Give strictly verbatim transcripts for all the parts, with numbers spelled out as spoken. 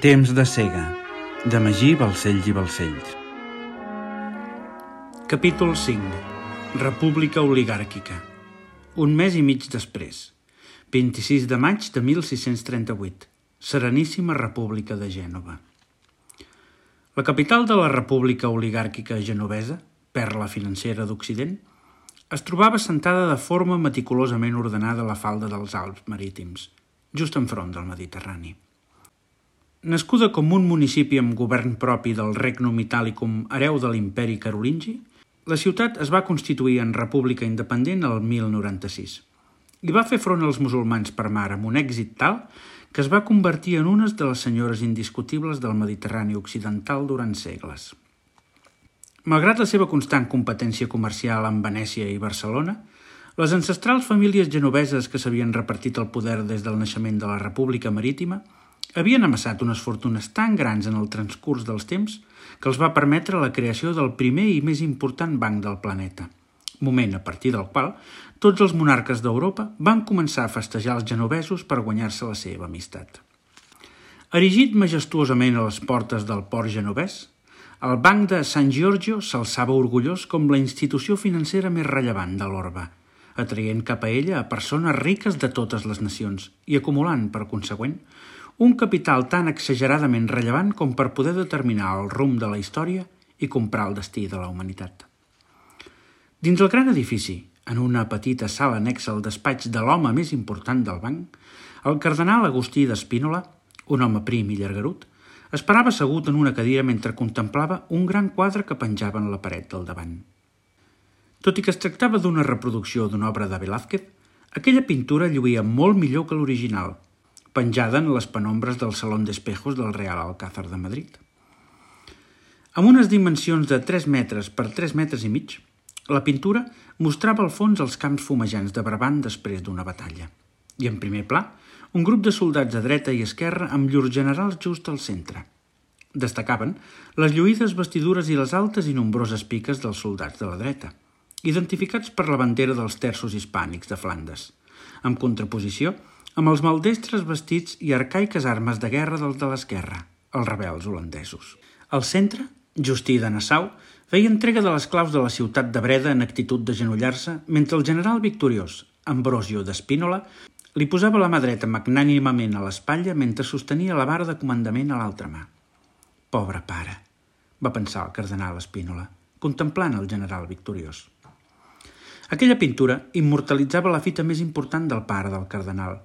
Temps de cega, de Magí Balcells i Balcells. Capítol cinc. República oligàrquica. Un mes i mig després. vint-i-sis de maig de mil sis-cents trenta-vuit. Sereníssima República de Gènova. La capital de la República oligàrquica genovesa, perla financera d'Occident, es trobava assentada de forma meticulosament ordenada a la falda dels Alps marítims, just enfront del Mediterrani. Nascuda com un municipi amb govern propi del Regnum Italicum hereu de l'imperi carolingi, la ciutat es va constituir en república independent el mil noranta-sis i va fer front als musulmans per mar amb un èxit tal que es va convertir en una de les senyores indiscutibles del Mediterrani occidental durant segles. Malgrat la seva constant competència comercial amb Venècia i Barcelona, les ancestrals famílies genoveses que s'havien repartit el poder des del naixement de la República Marítima havien amassat unes fortunes tan grans en el transcurs dels temps que els va permetre la creació del primer i més important banc del planeta, moment a partir del qual tots els monarques d'Europa van començar a festejar els genovesos per guanyar-se la seva amistat. Erigit majestuosament a les portes del port genovès, el Banc de San Giorgio s'alçava orgullós com la institució financera més rellevant de l'orbe, atraient cap a ella a persones riques de totes les nacions i acumulant, per consegüent, un capital tan exageradament rellevant com per poder determinar el rumb de la història i comprar el destí de la humanitat. Dins el gran edifici, en una petita sala anexa al despatx de l'home més important del banc, el cardenal Agustí d'Espínola, un home prim i llargarut, esperava assegut en una cadira mentre contemplava un gran quadre que penjava en la paret del davant. Tot i que es tractava d'una reproducció d'una obra de Velázquez, aquella pintura lluïa molt millor que l'original, penjada en les penombres del Salón d'Espejos del Real Alcázar de Madrid. Amb unes dimensions de tres metres per tres metres i mig, la pintura mostrava al fons els camps fumejants de Brabant després d'una batalla. I en primer pla, un grup de soldats a dreta i esquerra amb llurs generals just al centre. Destacaven les lluïdes vestidures i les altes i nombroses piques dels soldats de la dreta, identificats per la bandera dels terços hispànics de Flandes, en contraposició amb els maldestres vestits i arcaiques armes de guerra dels de l'esquerra, els rebels holandesos. Al centre, Justí de Nassau feia entrega de les claus de la ciutat de Breda en actitud d'agenollar-se, mentre el general victoriós, Ambrosio d'Espínola, li posava la mà dreta magnànimament a l'espatlla mentre sostenia la vara de comandament a l'altra mà. «Pobre pare», va pensar el cardenal Espínola, contemplant el general victoriós. Aquella pintura immortalitzava la fita més important del pare del cardenal,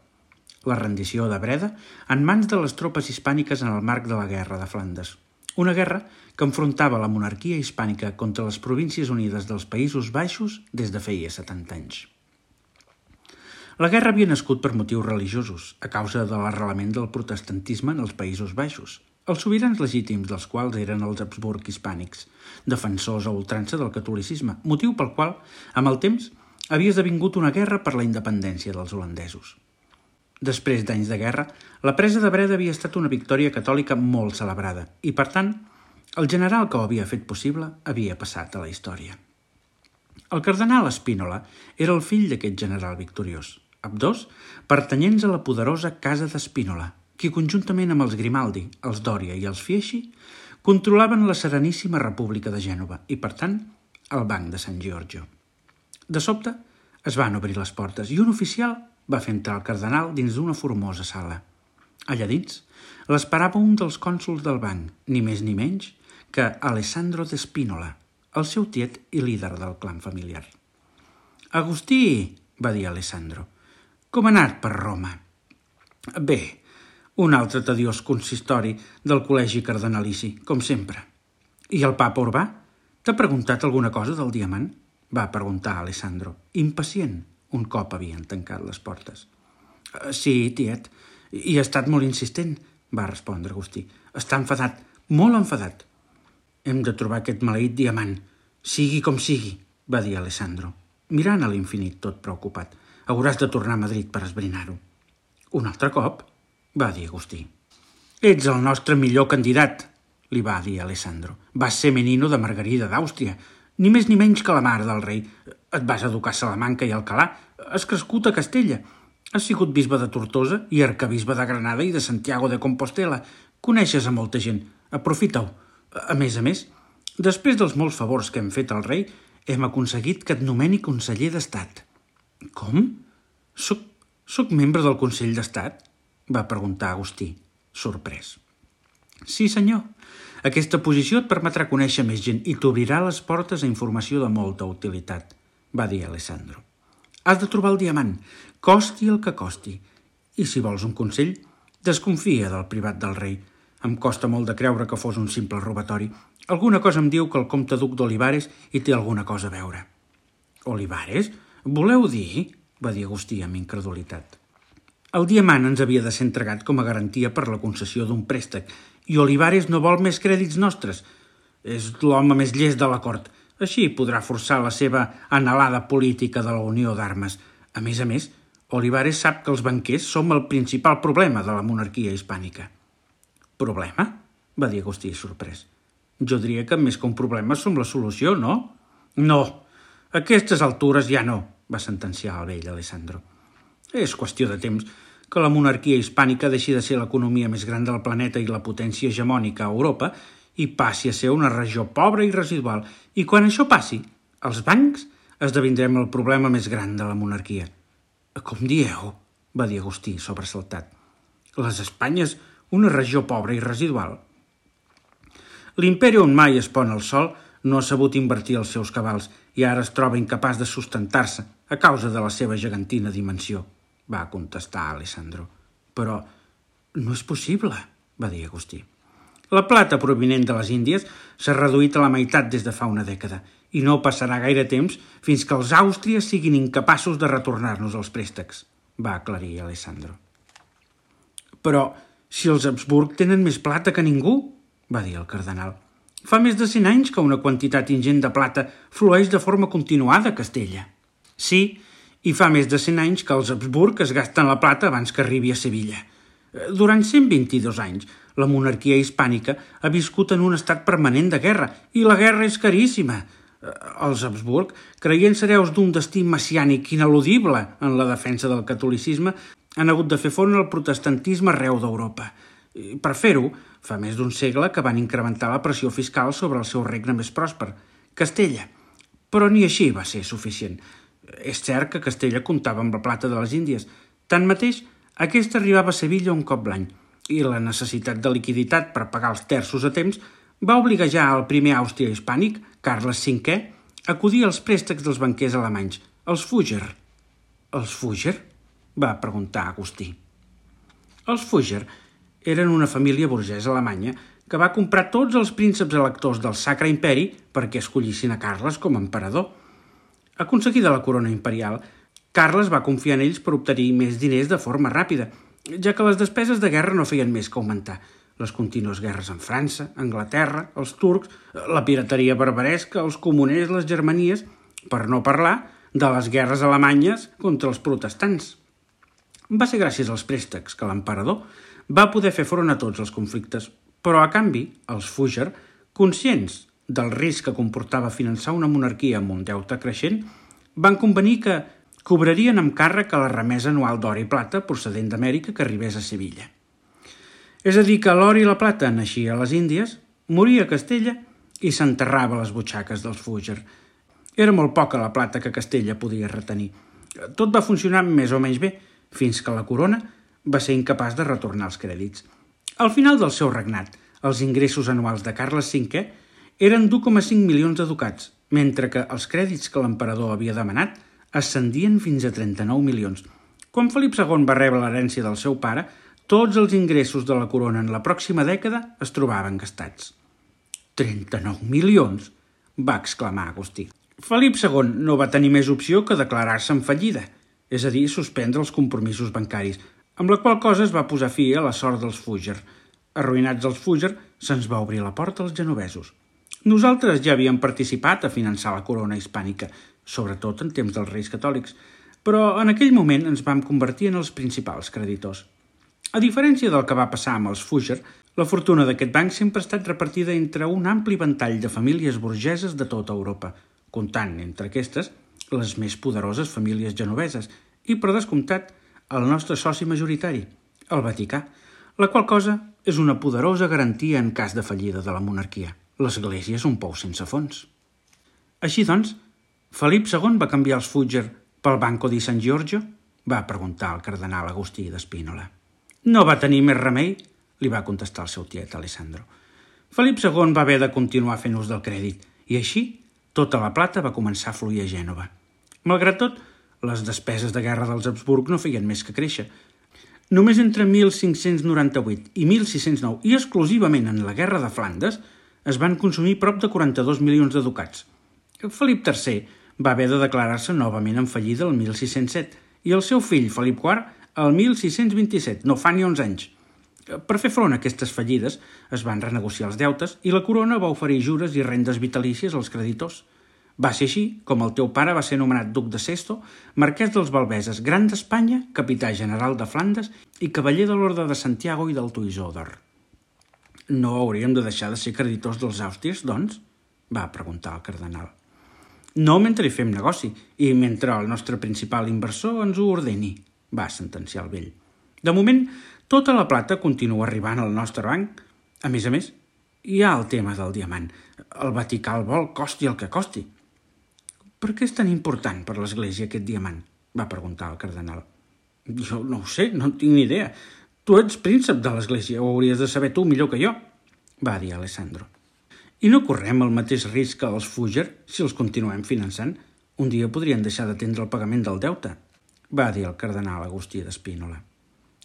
la rendició de Breda en mans de les tropes hispàniques en el marc de la Guerra de Flandes, una guerra que enfrontava la monarquia hispànica contra les Províncies Unides dels Països Baixos des de feia setanta anys. La guerra havia nascut per motius religiosos, a causa de l'arrelament del protestantisme en els Països Baixos, els sobirans legítims dels quals eren els Habsburg hispànics, defensors a ultrança del catolicisme, motiu pel qual, amb el temps, havia esdevingut una guerra per la independència dels holandesos. Després d'anys de guerra, la presa de Breda havia estat una victòria catòlica molt celebrada i, per tant, el general que ho havia fet possible havia passat a la història. El cardenal Espínola era el fill d'aquest general victoriós, ambdós pertanyents a la poderosa Casa d'Espínola, qui conjuntament amb els Grimaldi, els Dòria i els Fieschi controlaven la Sereníssima República de Gènova i, per tant, el Banc de San Giorgio. De sobte, es van obrir les portes i un oficial va fer entrar el cardenal dins d'una formosa sala. Allà dins l'esperava un dels cònsols del banc, ni més ni menys que Alessandro d'Espínola, el seu tiet i líder del clan familiar. «Agustí», va dir Alessandro, «com ha anat per Roma?» «Bé, un altre tediós consistori del col·legi cardenalici, com sempre». «I el papa Urbà? T'ha preguntat alguna cosa del diamant?» va preguntar Alessandro, impacient, un cop havien tancat les portes. «Sí, tiet, i ha estat molt insistent», va respondre Agustí. «Està enfadat, molt enfadat». «Hem de trobar aquest maleït diamant, sigui com sigui», va dir Alessandro, mirant a l'infinit tot preocupat. «Hauràs de tornar a Madrid per esbrinar-ho». «Un altre cop?», va dir Agustí. «Ets el nostre millor candidat», li va dir Alessandro. «Vas ser menino de Margarida d'Àustria, ni més ni menys que la mare del rei. Et vas educar a Salamanca i Alcalà, has crescut a Castella, has sigut bisbe de Tortosa i arcabisbe de Granada i de Santiago de Compostela, Coneixes a molta gent. Aprofita-ho. A més a més, després dels molts favors que hem fet al rei, hem aconseguit que et nomeni conseller d'Estat. Com? Soc, soc membre del Consell d'Estat? Va preguntar Agustí, sorprès. Sí, senyor. Aquesta posició et permetrà conèixer més gent i t'obrirà les portes a informació de molta utilitat, va dir Alessandro. Has de trobar el diamant, costi el que costi. I si vols un consell, desconfia del privat del rei. Em costa molt de creure que fos un simple robatori. Alguna cosa em diu que el comte duc d'Olivares hi té alguna cosa a veure. Olivares? Voleu dir? Va dir Agustí amb incredulitat. El diamant ens havia de ser entregat com a garantia per la concessió d'un préstec i Olivares no vol més crèdits nostres. És l'home més llest de la cort. Així podrà forçar la seva anhelada política de la Unió d'Armes. A més a més, Olivares sap que els banquers som el principal problema de la monarquia hispànica. Problema? Va dir Agustí, sorprès. Jo diria que més que un problema som la solució, no? No, a aquestes altures ja no, va sentenciar el vell Alessandro. És qüestió de temps que la monarquia hispànica deixi de ser l'economia més gran del planeta i la potència hegemònica a Europa i passi a ser una regió pobra i residual. I quan això passi, els bancs esdevindrem el problema més gran de la monarquia. Com dieu? Va dir Agustí, sobresaltat. Les Espanyes, una regió pobra i residual? L'imperi on mai es pon el sol no ha sabut invertir els seus cabals i ara es troba incapaç de sustentar-se a causa de la seva gegantina dimensió, va contestar Alessandro. Però no és possible, va dir Agustí. La plata provinent de les Índies s'ha reduït a la meitat des de fa una dècada i no passarà gaire temps fins que els àustries siguin incapaços de retornar-nos els préstecs, va aclarir Alessandro. Però si els Habsburg tenen més plata que ningú, va dir el cardenal. Fa més de cent anys que una quantitat ingent de plata flueix de forma continuada a Castella. Sí, i fa més de cent anys que els Habsburg es gasten la plata abans que arribi a Sevilla. Durant cent vint-i-dos anys, la monarquia hispànica ha viscut en un estat permanent de guerra, i la guerra és caríssima. Els Habsburg, creient hereus d'un destí messiànic ineludible en la defensa del catolicisme, han hagut de fer front al protestantisme arreu d'Europa. Per fer-ho, fa més d'un segle que van incrementar la pressió fiscal sobre el seu regne més pròsper, Castella. Però ni així va ser suficient. És cert que Castella comptava amb la plata de les Índies. Tanmateix, aquesta arribava a Sevilla un cop l'any, i la necessitat de liquiditat per pagar els terços a temps va obligar ja al primer Àustria hispànic, Carles cinquè, a acudir als préstecs dels banquers alemanys, els Fugger. Els Fugger? Va preguntar Agustí. Els Fugger eren una família burgesa alemanya que va comprar tots els prínceps electors del Sacre Imperi perquè escollissin a Carles com a emperador. Aconseguida la corona imperial, Carles va confiar en ells per obtenir més diners de forma ràpida, ja que les despeses de guerra no feien més que augmentar. Les contínues guerres amb França, Anglaterra, els turcs, la pirateria barbaresca, els comuners, les germanies, per no parlar de les guerres alemanyes contra els protestants. Va ser gràcies als préstecs que l'emperador va poder fer front a tots els conflictes, però a canvi, els Fugger, conscients del risc que comportava finançar una monarquia amb un deute creixent, van convenir que cobrarien amb càrrec a la remesa anual d'or i plata procedent d'Amèrica que arribés a Sevilla. És a dir, que l'or i la plata naixia a les Índies, moria a Castella i s'enterrava a les butxaques dels Fugger. Era molt poca la plata que Castella podia retenir. Tot va funcionar més o menys bé, fins que la corona va ser incapaç de retornar els crèdits. Al final del seu regnat, els ingressos anuals de Carles cinquè eren d'u coma cinc milions de ducats, mentre que els crèdits que l'emperador havia demanat ascendien fins a trenta-nou milions. Quan Felip segon va rebre l'herència del seu pare, tots els ingressos de la corona en la pròxima dècada es trobaven gastats. trenta-nou milions! Va exclamar Agustí. Felip segon no va tenir més opció que declarar-se en fallida, és a dir, suspendre els compromisos bancaris, amb la qual cosa es va posar fi a la sort dels Fugger. Arruïnats els Fugger, se'ns va obrir la porta als genovesos. Nosaltres ja havíem participat a finançar la corona hispànica, sobretot en temps dels reis catòlics, però en aquell moment ens vam convertir en els principals creditors. A diferència del que va passar amb els Fugger, la fortuna d'aquest banc sempre ha estat repartida entre un ampli ventall de famílies burgeses de tota Europa, comptant entre aquestes les més poderoses famílies genoveses i, per descomptat, el nostre soci majoritari, el Vaticà, la qual cosa és una poderosa garantia en cas de fallida de la monarquia. L'Església és un pou sense fons. Així doncs, Felip segon va canviar els Fugger pel Banco di San Giorgio? Va preguntar el cardenal Agustí d'Espínola. No va tenir més remei, li va contestar el seu tiet Alessandro. Felip segon va haver de continuar fent ús del crèdit i així tota la plata va començar a fluir a Gènova. Malgrat tot, les despeses de guerra dels Habsburg no feien més que créixer. Només entre mil cinc-cents noranta-vuit i mil sis-cents nou, i exclusivament en la guerra de Flandes, es van consumir prop de quaranta-dos milions de ducats. Felip tercer va haver de declarar-se novament en fallida el mil sis-cents set i el seu fill Felip quart el mil sis-cents vint-i-set, no fa ni onze anys. Per fer front a aquestes fallides es van renegociar els deutes i la corona va oferir jures i rendes vitalícies als creditors. Va ser així com el teu pare va ser nomenat duc de Sesto, marquès dels Balbeses, gran d'Espanya, capità general de Flandes i cavaller de l'Orde de Santiago i del Toisó d'Or. No hauríem de deixar de ser creditors dels Àustries, doncs? Va preguntar el cardenal. No mentre hi fem negoci i mentre el nostre principal inversor ens ho ordeni, va sentenciar el vell. De moment, tota la plata continua arribant al nostre banc. A més a més, hi ha el tema del diamant. El Vaticà el vol costi el que costi. Per què és tan important per l'Església aquest diamant? Va preguntar el cardenal. Jo no ho sé, no en tinc ni idea. Tu ets príncep de l'Església, ho hauries de saber tu millor que jo, va dir Alessandro. I no correm el mateix risc que els Fugger si els continuem finançant? Un dia podrien deixar d'atendre el pagament del deute, va dir el cardenal Agustí d'Espínola.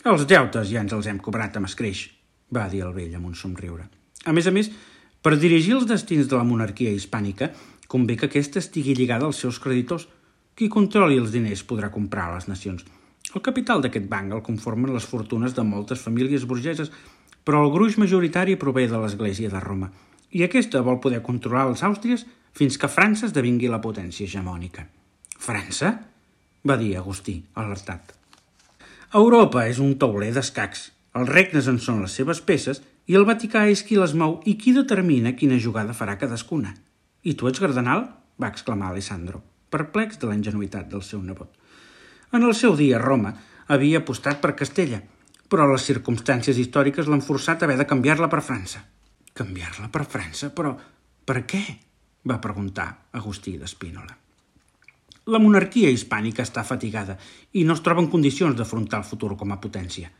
Els deutes ja ens els hem cobrat amb escreix, va dir el vell amb un somriure. A més a més, per dirigir els destins de la monarquia hispànica, convé que aquesta estigui lligada als seus creditors. Qui controli els diners podrà comprar les nacions. El capital d'aquest banc el conformen les fortunes de moltes famílies burgeses, però el gruix majoritari prové de l'Església de Roma, i aquesta vol poder controlar els àustries fins que França esdevingui la potència hegemònica. França? Va dir Agustí, alertat. Europa és un tauler d'escacs. Els regnes en són les seves peces i el Vaticà és qui les mou i qui determina quina jugada farà cadascuna. I tu ets cardenal? Va exclamar Alessandro, perplex de la ingenuïtat del seu nebot. En el seu dia, Roma havia apostat per Castella, però les circumstàncies històriques l'han forçat a haver de canviar-la per França. Canviar-la per França? Però per què? Va preguntar Agustí d'Espínola. La monarquia hispànica està fatigada i no es troba en condicions d'afrontar el futur com a potència.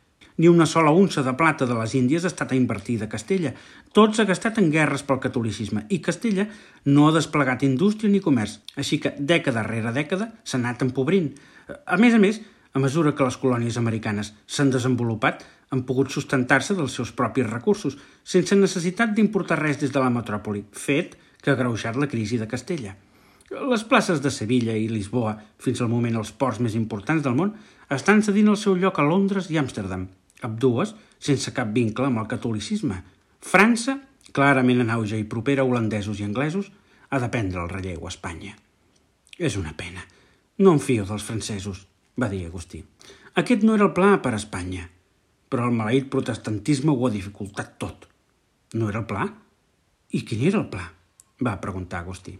Ni una sola unça de plata de les Índies ha estat invertida a Castella. Tot s'ha gastat en guerres pel catolicisme i Castella no ha desplegat indústria ni comerç, així que dècada rere dècada s'ha anat empobrint. A més a més, a mesura que les colònies americanes s'han desenvolupat, han pogut sustentar-se dels seus propis recursos, sense necessitat d'importar res des de la metròpoli, fet que ha agreujat la crisi de Castella. Les places de Sevilla i Lisboa, fins al moment els ports més importants del món, estan cedint el seu lloc a Londres i Amsterdam, ambdues sense cap vincle amb el catolicisme. França, clarament en auge i propera a holandesos i anglesos, ha de prendre el relleu a Espanya. És una pena. No em fio dels francesos, va dir Agustí. Aquest no era el pla per a Espanya, però el maleït protestantisme ho ha dificultat tot. No era el pla? I quin era el pla? Va preguntar Agustí.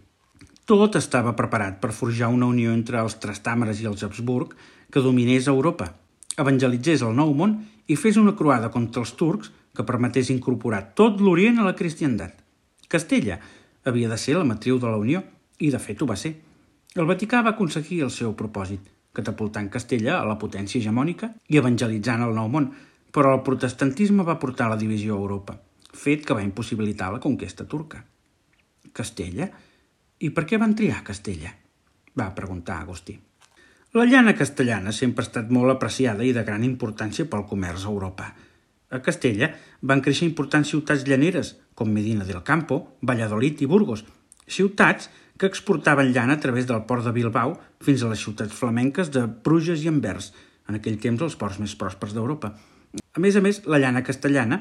Tot estava preparat per forjar una unió entre els Trastàmeres i els Habsburg que dominés Europa, evangelitzés el Nou Món i fes una croada contra els turcs que permetés incorporar tot l'Orient a la cristiandat. Castella havia de ser la matriu de la Unió, i de fet ho va ser. El Vaticà va aconseguir el seu propòsit, catapultant Castella a la potència hegemònica i evangelitzant el Nou Món, però el protestantisme va portar la divisió a Europa, fet que va impossibilitar la conquesta turca. Castella? I per què van triar Castella? Va preguntar Agustí. La llana castellana sempre ha estat molt apreciada i de gran importància pel comerç a Europa. A Castella van créixer importants ciutats llaneres, com Medina del Campo, Valladolid i Burgos, ciutats que exportaven llana a través del port de Bilbao fins a les ciutats flamenques de Bruges i Anvers, en aquell temps els ports més pròspers d'Europa. A més a més, la llana castellana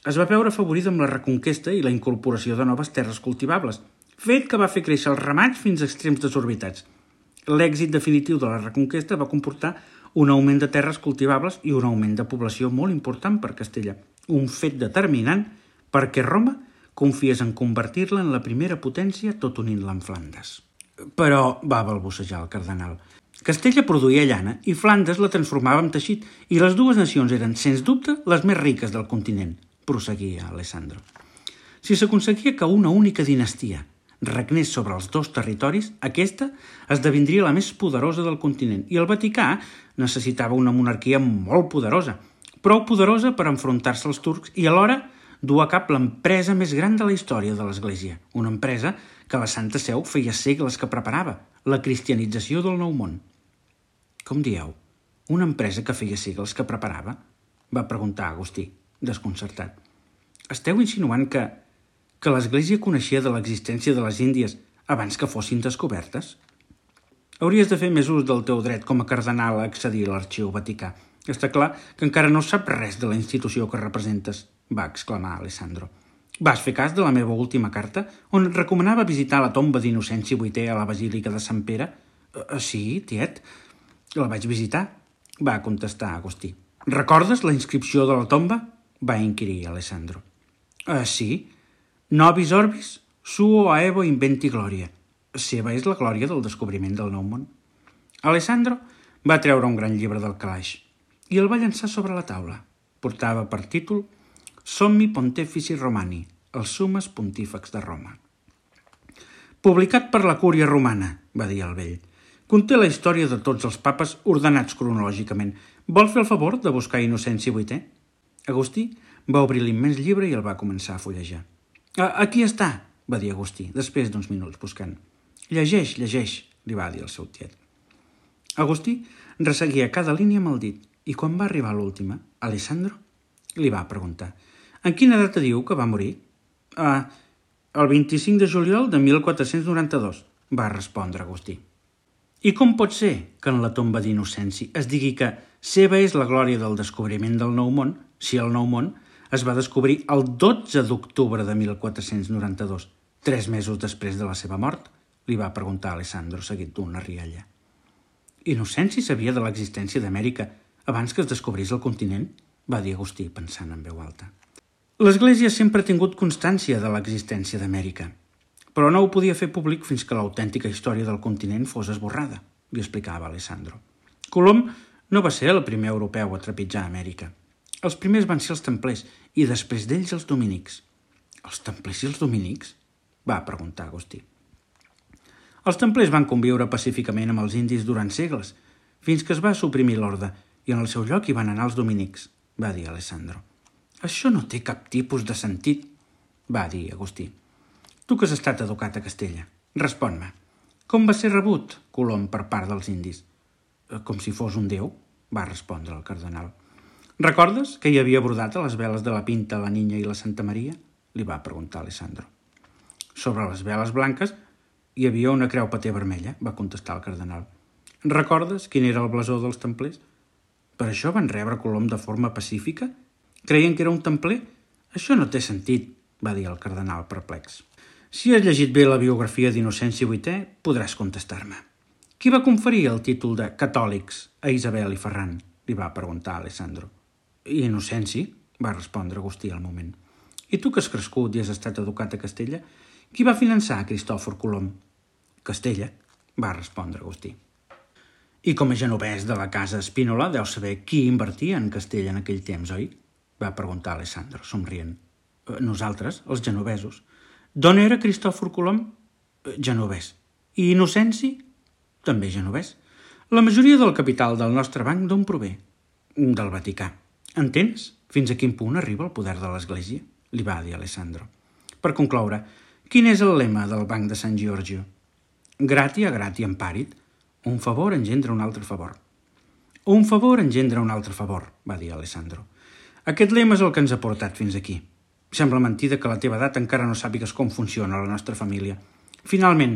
es va veure afavorida amb la reconquesta i la incorporació de noves terres cultivables, fet que va fer créixer els ramats fins a extrems desorbitats. L'èxit definitiu de la reconquesta va comportar un augment de terres cultivables i un augment de població molt important per Castella, un fet determinant perquè Roma confiés en convertir-la en la primera potència tot unint-la amb Flandes. Però, va balbucejar el cardenal, Castella produïa llana i Flandes la transformava en teixit i les dues nacions eren, sens dubte, les més riques del continent. proseguia Alessandro. Si s'aconseguia que una única dinastia regnés sobre els dos territoris, aquesta esdevindria la més poderosa del continent i el Vaticà necessitava una monarquia molt poderosa, prou poderosa per enfrontar-se als turcs i alhora dur a cap l'empresa més gran de la història de l'Església, una empresa que la Santa Seu feia segles que preparava, la cristianització del Nou Món. Com dieu? Una empresa que feia segles que preparava? Va preguntar Agustí, desconcertat. Esteu insinuant que, que l'Església coneixia de l'existència de les Índies abans que fossin descobertes? Hauries de fer més ús del teu dret com a cardenal a accedir a l'arxiu vaticà. Està clar que encara no sap res de la institució que representes, va exclamar Alessandro. Vas fer cas de la meva última carta, on et recomanava visitar la tomba d'Innocenci vuitè a la Basílica de Sant Pere? Uh, sí, tiet, la vaig visitar, va contestar Agustí. Recordes la inscripció de la tomba? Va inquirir Alessandro. Uh, sí, Nobis Orbis, suo aevo inventi gloria. Seva és la glòria del descobriment del Nou Món. Alessandro va treure un gran llibre del calaix i el va llançar sobre la taula. Portava per títol Sommi Pontifici Romani, els Summes Pontífex de Roma. Publicat per la Cúria Romana, va dir el vell. Conté la història de tots els papes ordenats cronològicament. Vol fer el favor de buscar Innocenci vuitè? Agustí va obrir l'immens llibre i el va començar a fullejar. Aquí està, va dir Agustí, després d'uns minuts buscant. Llegeix, llegeix, li va dir el seu tiet. Agustí resseguia cada línia amb el dit i quan va arribar a l'última, Alessandro li va preguntar en quina data diu que va morir? Ah, el vint-i-cinc de juliol de mil quatre-cents noranta-dos, va respondre Agustí. I com pot ser que en la tomba d'Innocenci es digui que seva és la glòria del descobriment del Nou Món si el Nou Món es va descobrir el dotze d'octubre de mil quatre-cents noranta-dos, tres mesos després de la seva mort? Li va preguntar Alessandro, seguit d'una rialla. Innocenci sabia de l'existència d'Amèrica abans que es descobrís el continent? Va dir Agustí, pensant en veu alta. L'Església sempre ha tingut constància de l'existència d'Amèrica, però no ho podia fer públic fins que l'autèntica història del continent fos esborrada, li explicava Alessandro. Colom no va ser el primer europeu a trepitjar Amèrica. Els primers van ser els templers i després d'ells els dominics. Els templers i els dominics? Va preguntar Agustí. Els templers van conviure pacíficament amb els indis durant segles, fins que es va suprimir l'orde i en el seu lloc hi van anar els dominics, va dir Alessandro. Això no té cap tipus de sentit, va dir Agustí. Tu que has estat educat a Castella, respon-me. Com va ser rebut Colom per part dels indis? Com si fos un déu, va respondre el cardenal. Recordes que hi havia brodat a les veles de la Pinta, la Niña i la Santa Maria? Li va preguntar Alessandro. Sobre les veles blanques hi havia una creu paté vermella, va contestar el cardenal. Recordes quin era el blasó dels templers? Per això van rebre Colom de forma pacífica? Creien que era un templer? Això no té sentit, va dir el cardenal perplex. Si has llegit bé la biografia d'Innocenci vuitè, podràs contestar-me. Qui va conferir el títol de catòlics a Isabel i Ferran? Li va preguntar Alessandro. Innocenci, va respondre Agustí al moment. I tu que has crescut i has estat educat a Castella, qui va finançar Cristòfor Colom? Castella, va respondre Agustí. I com a genovès de la casa Spínola deu saber qui invertia en Castella en aquell temps, oi? Va preguntar Alessandro, somrient. Nosaltres, els genovesos. D'on era Cristòfor Colom? Genovès. I Innocenci? També genovès. La majoria del capital del nostre banc d'on prové? Del Vaticà. Entens fins a quin punt arriba el poder de l'Església? Li va dir Alessandro. Per concloure, quin és el lema del Banc de Sant Giorgio? Gratia gratiam parit. Un favor engendra un altre favor. Un favor engendra un altre favor, va dir Alessandro. Aquest lema és el que ens ha portat fins aquí. Sembla mentida que a la teva edat encara no sàpigues com funciona la nostra família. Finalment,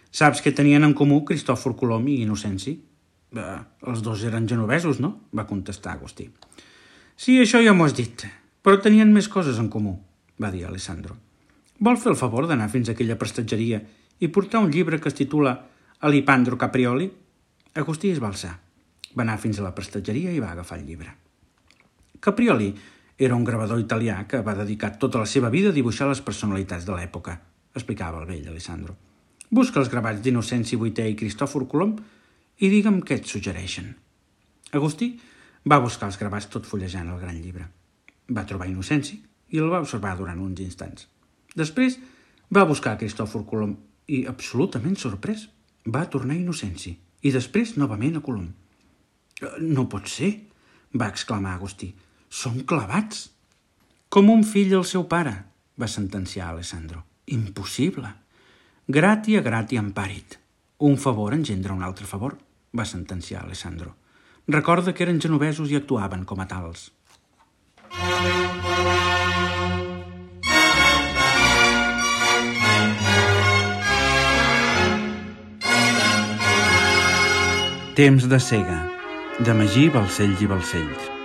saps què tenien en comú Cristòfor Colom i Innocenci? Eh, els dos eren genovesos, no? Va contestar Agustí. Sí, això ja m'ho has dit, però tenien més coses en comú, va dir Alessandro. Vol fer el favor d'anar fins a aquella prestatgeria i portar un llibre que es titula Alipandro Caprioli? Agustí es va alçar. Va anar fins a la prestatgeria i va agafar el llibre. Caprioli era un gravador italià que va dedicar tota la seva vida a dibuixar les personalitats de l'època, explicava el vell Alessandro. Busca els gravats d'Innocenci vuitè i Cristòfor Colom i digue'm què et suggereixen. Agustí va buscar els gravats tot fullejant el gran llibre. Va trobar Innocenci i el va observar durant uns instants. Després va buscar Cristòfor Colom i, absolutament sorprès, va tornar a Innocenci i després novament a Colom. «No pot ser», va exclamar Agustí. «Són clavats!» «Com un fill al seu pare», va sentenciar Alessandro. «Impossible! Gratia gratiam parit. Un favor engendra un altre favor», va sentenciar Alessandro. «Recorda que eren genovesos i actuaven com a tals». Temps de cega, de Magí Balcells i Balcells.